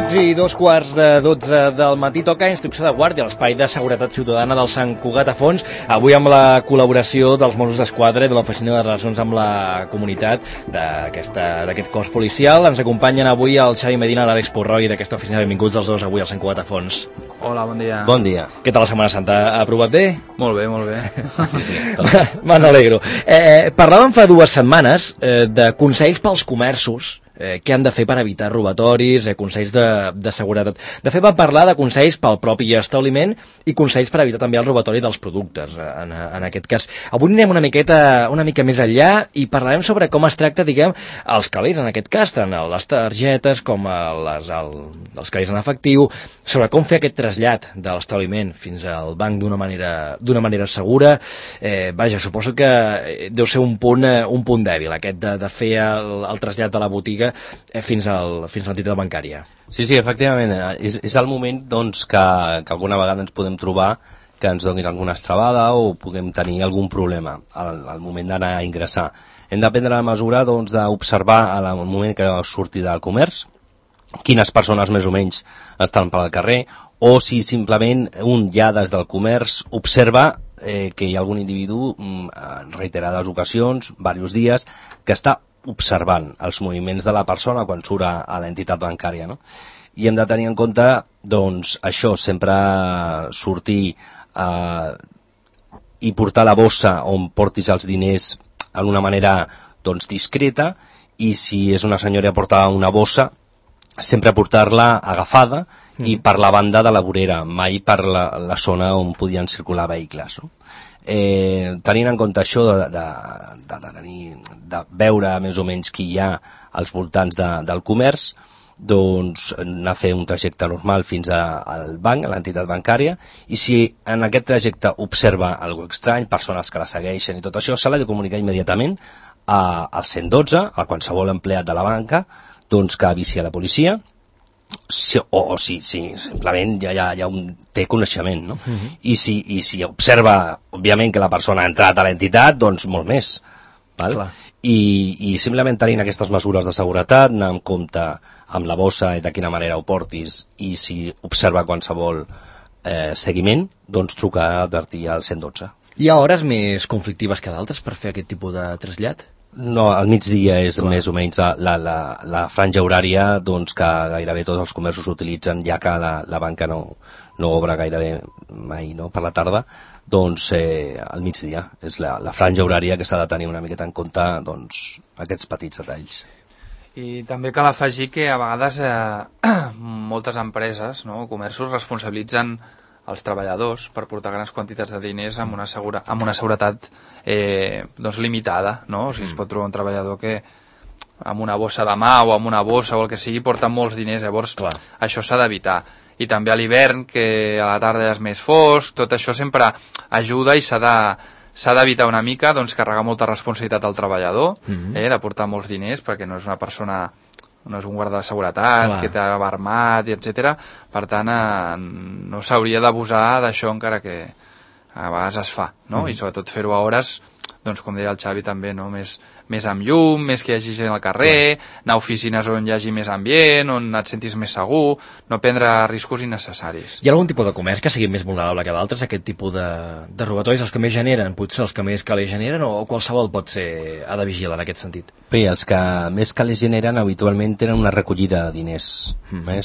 minuts i 2:45 del matí toca Instrucció de Guàrdia, l'espai de seguretat ciutadana del Sant Cugat a Fons, avui amb la col·laboració dels Mossos d'Esquadra i de l'Oficina de Relacions amb la Comunitat d'aquest cos policial. Ens acompanyen avui el Xavi Medina i l'Àlex Purroi d'aquesta oficina. Benvinguts els dos avui al Sant Cugat a Fons. Hola, bon dia. Bon dia. Què tal la Setmana Santa? Ha aprovat bé? Molt bé, molt bé. Me n'alegro. Parlàvem fa 2 setmanes de consells pels comerços, què han de fer per evitar robatoris, consells de seguretat. De fet, vam parlar de consells pel propi establiment i consells per evitar també el robatori dels productes, en aquest cas. Avui anirem una mica més enllà i parlarem sobre com es tracta, diguem, els calés, en aquest cas, tant les targetes com els calés en efectiu, sobre com fer aquest trasllat de l'establiment fins al banc d'una manera segura. Vaja, suposo que deu ser un punt dèbil, aquest de fer el trasllat de la botiga fins a l'entitat bancària. Sí, efectivament, és el moment doncs, que alguna vegada ens podem trobar que ens donin alguna estrabada o puguem tenir algun problema al moment d'anar a ingressar. Hem de prendre la mesura doncs, d'observar al moment que surti del comerç quines persones més o menys estan pel carrer, o si simplement un ja des del comerç observa que hi ha algun individu en reiterades ocasions, diversos dies, que està observant els moviments de la persona quan surt a l'entitat bancària, no? I hem de tenir en compte, doncs, això, sempre sortir i portar la bossa on portis els diners d'una manera, doncs, discreta, i si és una senyora que porta una bossa, sempre portar-la agafada i per la banda de la vorera, mai per la zona on podien circular vehicles, no? Tenint en compte això de veure més o menys qui hi ha als voltants del comerç, doncs anar a fer un trajecte normal fins al banc, a l'entitat bancària, i si en aquest trajecte observa alguna cosa estrany, persones que la segueixen i tot això, se l'ha de comunicar immediatament al 112, a qualsevol empleat de la banca, doncs que avisi a la policia, o si simplement ja té coneixement, no? I si observa, òbviament, que la persona ha entrat a l'entitat, doncs molt més, val? I simplement tenint aquestes mesures de seguretat, anar amb compte amb la bossa i de quina manera ho portis, i si observa qualsevol seguiment, doncs trucar a advertir al 112. Hi ha hores més conflictives que d'altres per fer aquest tipus de trasllat? No, al migdia és més o menys la franja horària, doncs, que gairebé tots els comerços utilitzen, ja que la banca no obre gairebé mai, no? Per la tarda, doncs al migdia és la franja horària que s'ha de tenir una miqueta en compte, doncs, aquests petits detalls. I també cal afegir que a vegades moltes empreses, no, comerços, responsabilitzen els treballadors per portar grans quantitats de diners amb una seguretat doncs limitada, no? O sigui, es pot trobar un treballador que amb una bossa de mà o amb una bossa o el que sigui porta molts diners, llavors això s'ha d'evitar. I també a l'hivern, que a la tarda és més fosc, tot això sempre ajuda i s'ha d'evitar una mica, doncs, carregar molta responsabilitat al treballador, de portar molts diners, perquè no és una persona, no és un guarda de seguretat que t'ha armat, etc. Per tant, no s'hauria d'abusar d'això, encara que a vegades es fa, no? I sobretot fer-ho a hores, doncs, com deia el Xavi també, no? Més amb llum, més que hi hagi gent al carrer, anar a oficines on hi hagi més ambient, on et sentis més segur, no prendre riscos innecessaris. Hi ha algun tipus de comerç que sigui més vulnerable que d'altres, aquest tipus de robatoris, els que més generen, potser els que més calés generen, o qualsevol ha de vigilar en aquest sentit? Bé, els que més calés generen habitualment tenen una recollida de diners.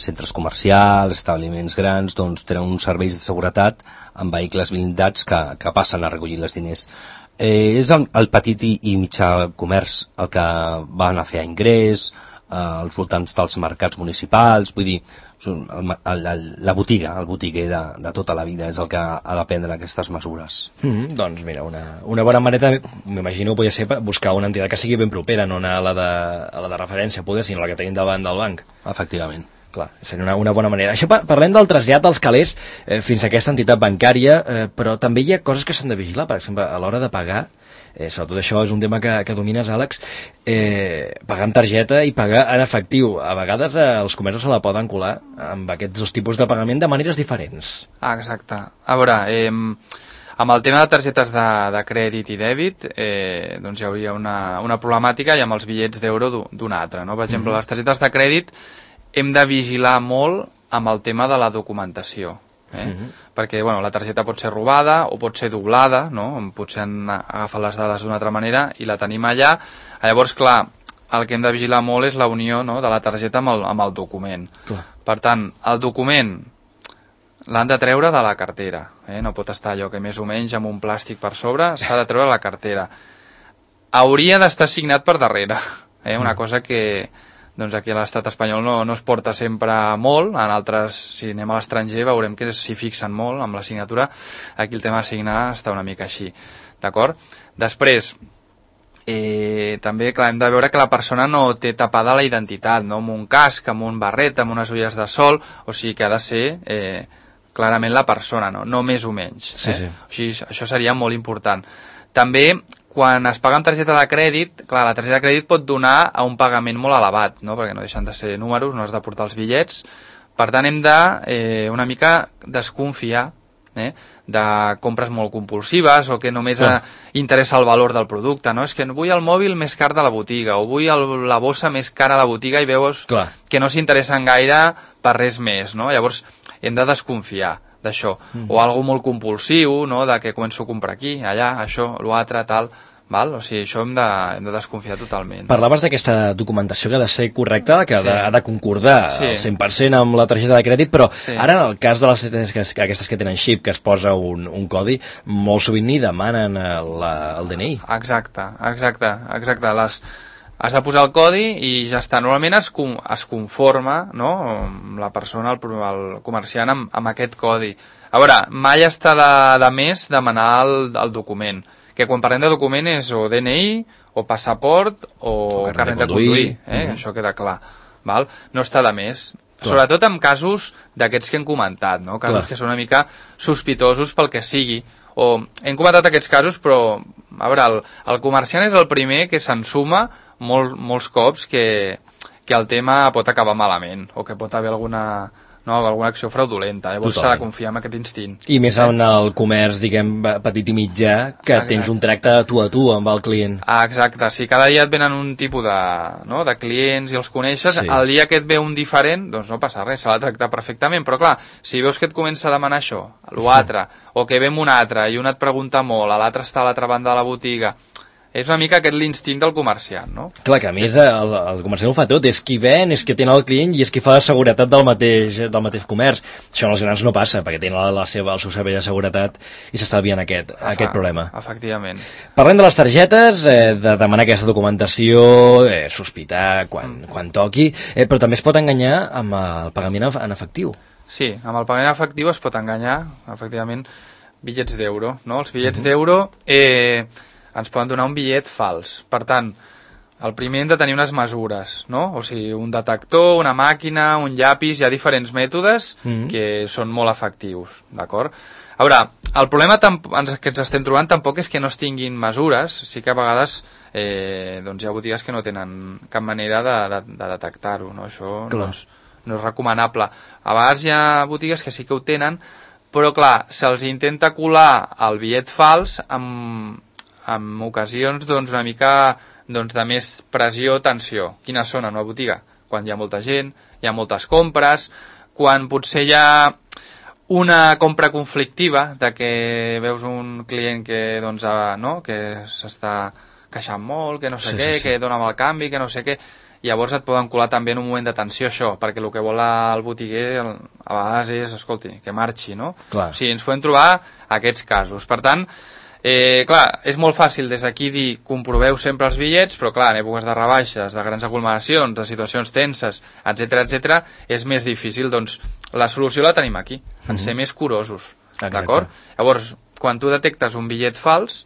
Centres comercials, establiments grans, doncs tenen uns serveis de seguretat amb vehicles blindats que passen a recollir els diners. És el petit i mitjà comerç el que van a fer a ingrés, als voltants dels mercats municipals, vull dir, la botiga, el botiguer de tota la vida és el que ha de prendre aquestes mesures. Doncs mira, una bona manera, m'imagino, podria ser buscar una entitat que sigui ben propera, no anar a la de referència, poder, sinó la que tenim davant del banc. Efectivament. Clar, seria una bona manera. Això parlem del trasllat dels calés fins a aquesta entitat bancària, però també hi ha coses que s'han de vigilar, per exemple, a l'hora de pagar, sobretot això és un tema que domines, Àlex, pagar amb targeta i pagar en efectiu. A vegades els comerços se la poden colar amb aquests dos tipus de pagament de maneres diferents. Exacte. A veure, amb el tema de targetes de crèdit i dèbit, doncs hi hauria una problemàtica, i amb els bitllets d'euro d'una altra, no? Per exemple, les targetes de crèdit hem de vigilar molt amb el tema de la documentació. Perquè la targeta pot ser robada o pot ser doblada, no? Potser han agafat les dades d'una altra manera i la tenim allà. Llavors, clar, el que hem de vigilar molt és la unió, no?, de la targeta amb el document. Per tant, el document l'han de treure de la cartera, no pot estar allò que més o menys amb un plàstic per sobre, s'ha de treure la cartera. Hauria d'estar signat per darrere, una cosa que doncs aquí a l'estat espanyol no es porta sempre molt, en altres, si anem a l'estranger veurem que s'hi fixen molt amb la signatura, aquí el tema de signar està una mica així, d'acord? Després, també clar, hem de veure que la persona no té tapada la identitat, no? Amb un casc, amb un barret, amb unes ulleres de sol, o sigui que ha de ser clarament la persona, no més o menys. Sí. O sigui, això seria molt important. També, quan es paga amb targeta de crèdit, clar, la targeta de crèdit pot donar a un pagament molt elevat, no? Perquè no deixen de ser números, no has de portar els bitllets. Per tant, hem de una mica desconfiar de compres molt compulsives o que només interessa el valor del producte, no? És que vull el mòbil més car de la botiga o vull la bossa més cara a la botiga i veus que no s'interessen gaire per res més, no? Llavors, hem de desconfiar d'això. O algo molt compulsiu, no?, de que començo a comprar aquí, allà, això, l'altre, tal, val? O sigui, això hem de desconfiar totalment. Parlaves d'aquesta documentació que ha de ser correcta, que ha de concordar al 100% amb la targeta de crèdit, però ara en el cas de les aquestes que tenen xip, que es posa un codi, molt sovint ni demanen el DNI. Exacte. Has de posar el codi i ja està. Normalment es conforma, no?, la persona, el comerciant, amb aquest codi. A veure, mai està de més demanar el document, que quan parlem de document és o DNI, o passaport, o carnet de conduir. Això queda clar. Val? No està de més. Sobretot en casos d'aquests que hem comentat, no? Casos que són una mica sospitosos pel que sigui. O hem comentat aquests casos, però a veure, el comerciant és el primer que s'ensuma molts cops que el tema pot acabar malament o que pot haver alguna acció fraudulenta. Llavors s'ha de confiar en aquest instint. I més en el comerç, diguem, petit i mitjà, que tens un tracte tu a tu amb el client. Exacte, si cada dia et venen un tipus de clients i els coneixes, el dia que et ve un diferent, doncs no passa res, s'ha de tractar perfectament, però clar, si veus que et comença a demanar això, l'altre, o que ve un altre i un et pregunta molt, l'altre està a l'altra banda de la botiga, és una mica aquest l'instint del comerciant, no? Clar, que a més el comerciant ho fa tot, és qui ven, és qui atén el client i és qui fa la seguretat del mateix comerç. Això en els grans no passa, perquè tenen el seu servei de seguretat i s'estalvien aquest problema. Efectivament. Parlem de les targetes, de demanar aquesta documentació, sospitar quan toqui, però també es pot enganyar amb el pagament en efectiu. Sí, amb el pagament en efectiu es pot enganyar, efectivament, bitllets d'euro, no? Els bitllets d'euro ens poden donar un bitllet fals. Per tant, el primer hem de tenir unes mesures, no? O sigui, un detector, una màquina, un llapis, hi ha diferents mètodes que són molt efectius, d'acord? A veure, el problema que ens estem trobant tampoc és que no es tinguin mesures, sí que a vegades hi ha botigues que no tenen cap manera de detectar-ho, no? Això no és recomanable. A vegades hi ha botigues que sí que ho tenen, però clar, se'ls intenta colar el bitllet fals en ocasions una mica de més pressió, tensió. Quines són en una botiga? Quan hi ha molta gent, hi ha moltes compres, quan potser hi ha una compra conflictiva, de que veus un client que s'està queixant molt, que no sé què, que dona mal canvi, que no sé què, llavors et poden colar també en un moment de tensió això, perquè el que vol el botiguer a vegades és, escolti, que marxi, no? Clar. O sigui, ens podem trobar aquests casos. Per tant, clar, és molt fàcil des d'aquí dir comproveu sempre els bitllets, però clar, en èpoques de rebaixes, de grans aglomeracions, de situacions tenses, etc, és més difícil. Doncs la solució la tenim aquí, en ser més curosos, d'acord? Llavors, quan tu detectes un bitllet fals,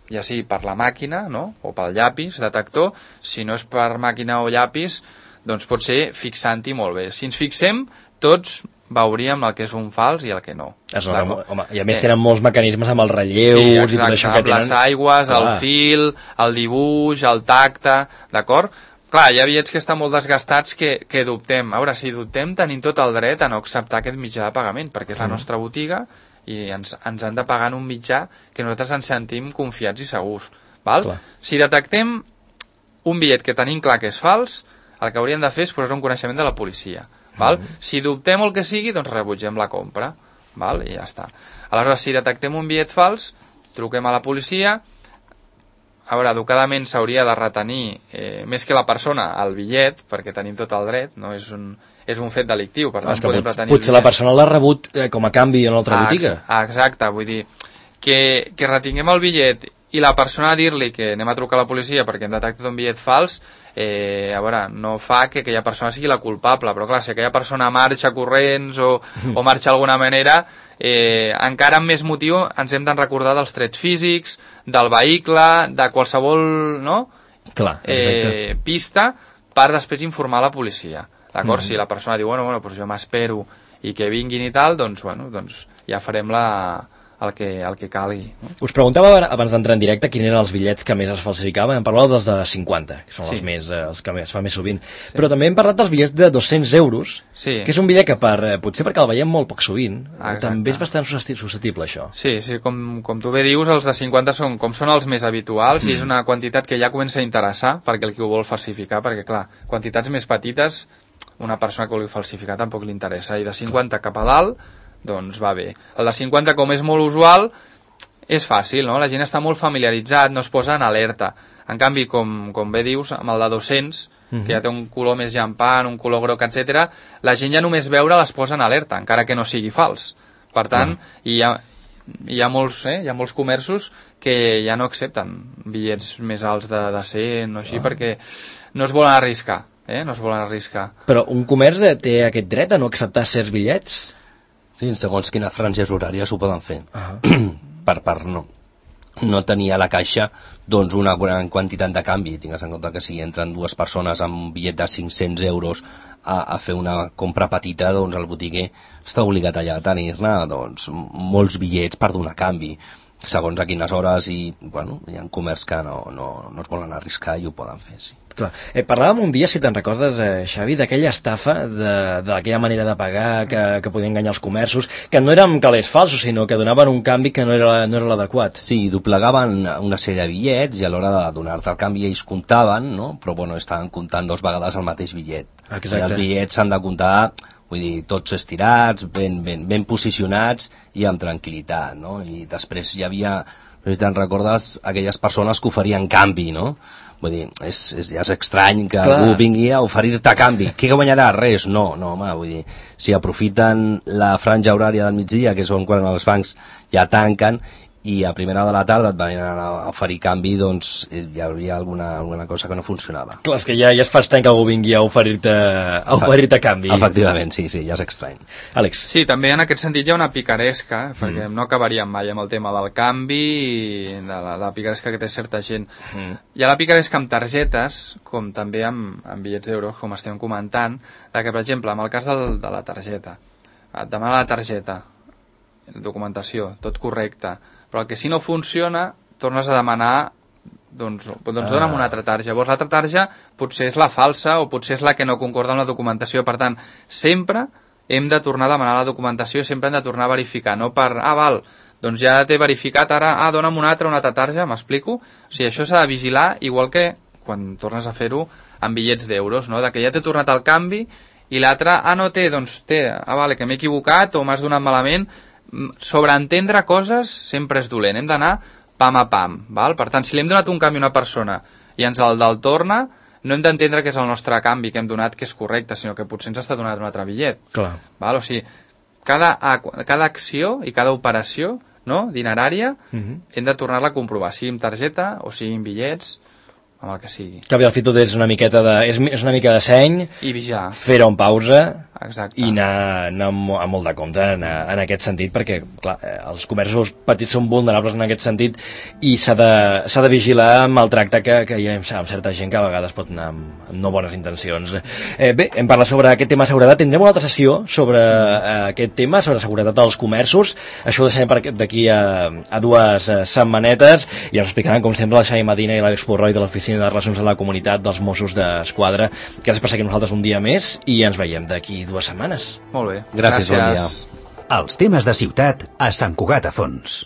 ja sigui per la màquina, no?, o pel llapis detector, si no és per màquina o llapis, doncs pot ser fixant-hi molt bé. Si ens fixem, tots veuríem el que és un fals i el que no. Home, i a més tenen molts mecanismes amb els relleus i tot això que tenen. Les aigües, el fil, el dibuix, el tacte, d'acord? Clar, hi ha bitllets que estan molt desgastats que dubtem. A veure, si dubtem tenim tot el dret a no acceptar aquest mitjà de pagament, perquè és la nostra botiga i ens han de pagar en un mitjà que nosaltres ens sentim confiats i segurs. Val? Si detectem un bitllet que tenim clar que és fals, el que hauríem de fer és posar un coneixement de la policia. Val? Si dubtem el que sigui, doncs rebutgem la compra. Val? I ja està. Aleshores, si detectem un bitllet fals, truquem a la policia. A veure, educadament s'hauria de retenir, més que la persona, el bitllet, perquè tenim tot el dret, no? És un fet delictiu, per tant podem retenir potser la persona l'ha rebut com a canvi en una altra botiga. Exacte, vull dir que retinguem el bitllet i la persona a dir-li que anem a trucar a la policia perquè hem detectat un bitllet fals, a veure, no fa que aquella persona sigui la culpable, però clar, si aquella persona marxa corrents o marxa d'alguna manera, encara amb més motiu ens hem de recordar dels trets físics, del vehicle, de qualsevol, no? Clar, pista per després informar la policia. D'acord? Si la persona diu, bueno, doncs jo m'espero i que vinguin i tal, doncs ja farem el que calgui. No? Us preguntava abans d'entrar en directe quins eren els bitllets que més es falsificaven. Hem parlat dels de 50, que són els que es fa més sovint. Però també hem parlat dels bitllets de 200 euros, que és un bitllet que potser perquè el veiem molt poc sovint, també és bastant susceptible, això. Sí, com tu bé dius, els de 50 són els més habituals i és una quantitat que ja comença a interessar perquè el que ho vol falsificar, perquè clar, quantitats més petites, una persona que vulgui falsificar tampoc li interessa, i de 50 cap a dalt doncs va bé. El de 50, com és molt usual, és fàcil, no? La gent està molt familiaritzat, no es posa en alerta. En canvi, com bé dius, amb el de 200, que ja té un color més llampant, un color groc, etc., la gent ja només veure les posa en alerta, encara que no sigui fals. Per tant, hi ha molts comerços que ja no accepten bitllets més alts de 100 o així, perquè no es volen arriscar. No es volen arriscar. Però un comerç té aquest dret a no acceptar certs bitllets? Sí, segons quines franges horàries ho poden fer. Per part no tenir a la caixa doncs una gran quantitat de canvi. Tingues en compte que si entren dues persones amb un bitllet de 500 euros a fer una compra petita, doncs el botiguer està obligat allà a tenir-ne doncs, molts bitllets per donar canvi, segons a quines hores, i bueno, hi ha comerç que no es volen arriscar i ho poden fer, sí. Clar. Parlàvem un dia, si te'n recordes, Xavi, d'aquella estafa, d'aquella manera de pagar que podien enganyar els comerços, que no eren calés falsos, sinó que donaven un canvi que no era l'adequat. Sí, doblegaven una sèrie de bitllets i a l'hora de donar-te el canvi ells comptaven, no? Però bueno, estaven comptant 2 vegades el mateix bitllet. Exacte. I els bitllets s'han de comptar, vull dir, tots estirats, ben posicionats i amb tranquil·litat, no? I després hi havia, no sé si te'n recordes, aquelles persones que oferien canvi, no? Vull dir, ja és estrany que algú vingui a oferir-te canvi. Què guanyarà? Res. No, home, vull dir, si aprofiten la franja horària del migdia, que són quan els bancs ja tanquen, i a primera hora de la tarda et venien a oferir canvi, doncs hi hauria alguna cosa que no funcionava. Clar, és que ja es fa estrany que algú vingui a oferir-te canvi. Efectivament, sí, ja és estrany. Àlex. Sí, també en aquest sentit hi ha una picaresca, perquè no acabaríem mai amb el tema del canvi i de la picaresca que té certa gent. Hi ha la picaresca amb targetes, com també amb bitllets d'euros, com estem comentant, que, per exemple, en el cas de la targeta, et demana la targeta, documentació, tot correcte, però el que si no funciona tornes a demanar doncs dona'm una altra tarja. Llavors l'altra tarja potser és la falsa o potser és la que no concorda amb la documentació. Per tant, sempre hem de tornar a demanar la documentació i sempre hem de tornar a verificar, no per, val, doncs ja t'he verificat, ara, dona'm una altra tarja, m'explico? O sigui, això s'ha de vigilar, igual que quan tornes a fer-ho amb bitllets d'euros, no? De que ja t'he tornat el canvi i l'altre, no té, doncs té, vale, que m'he equivocat o m'has donat malament. Sobreentendre coses sempre és dolent, hem d'anar pam a pam, val? Per tant, si li hem donat un canvi a una persona i ens el torna, no hem d'entendre que és el nostre canvi que hem donat que és correcte, sinó que potser ens està donant un altre bitllet. Clar. Val? O sigui, cada acció i cada operació, no, dinerària, hem de tornar-la a comprovar, sigui amb targeta o sigui amb bitllets, amb el que sigui. Que al fi tot és una miqueta és una mica de seny, i vigilar, fer-ho en pausa. Exacte. I anar amb molt de compte en aquest sentit, perquè clar, els comerços petits són vulnerables en aquest sentit i s'ha de vigilar amb el tracte que hi ha amb certa gent que a vegades pot anar amb no bones intencions. Bé, hem parlat sobre aquest tema de seguretat, tindrem una altra sessió sobre aquest tema, sobre seguretat dels comerços. Això ho deixarem d'aquí a 2 setmanetes i ens explicaran, com sempre, la Xavi Medina i l'Àlex Purroi de l'Oficina de Relacions a la Comunitat dels Mossos d'Esquadra. Gràcies per seguir nosaltres un dia més i ens veiem d'aquí 2 setmanes. Molt bé. Gràcies. Bon dia. Els temes de ciutat a Sant Cugat a Fons.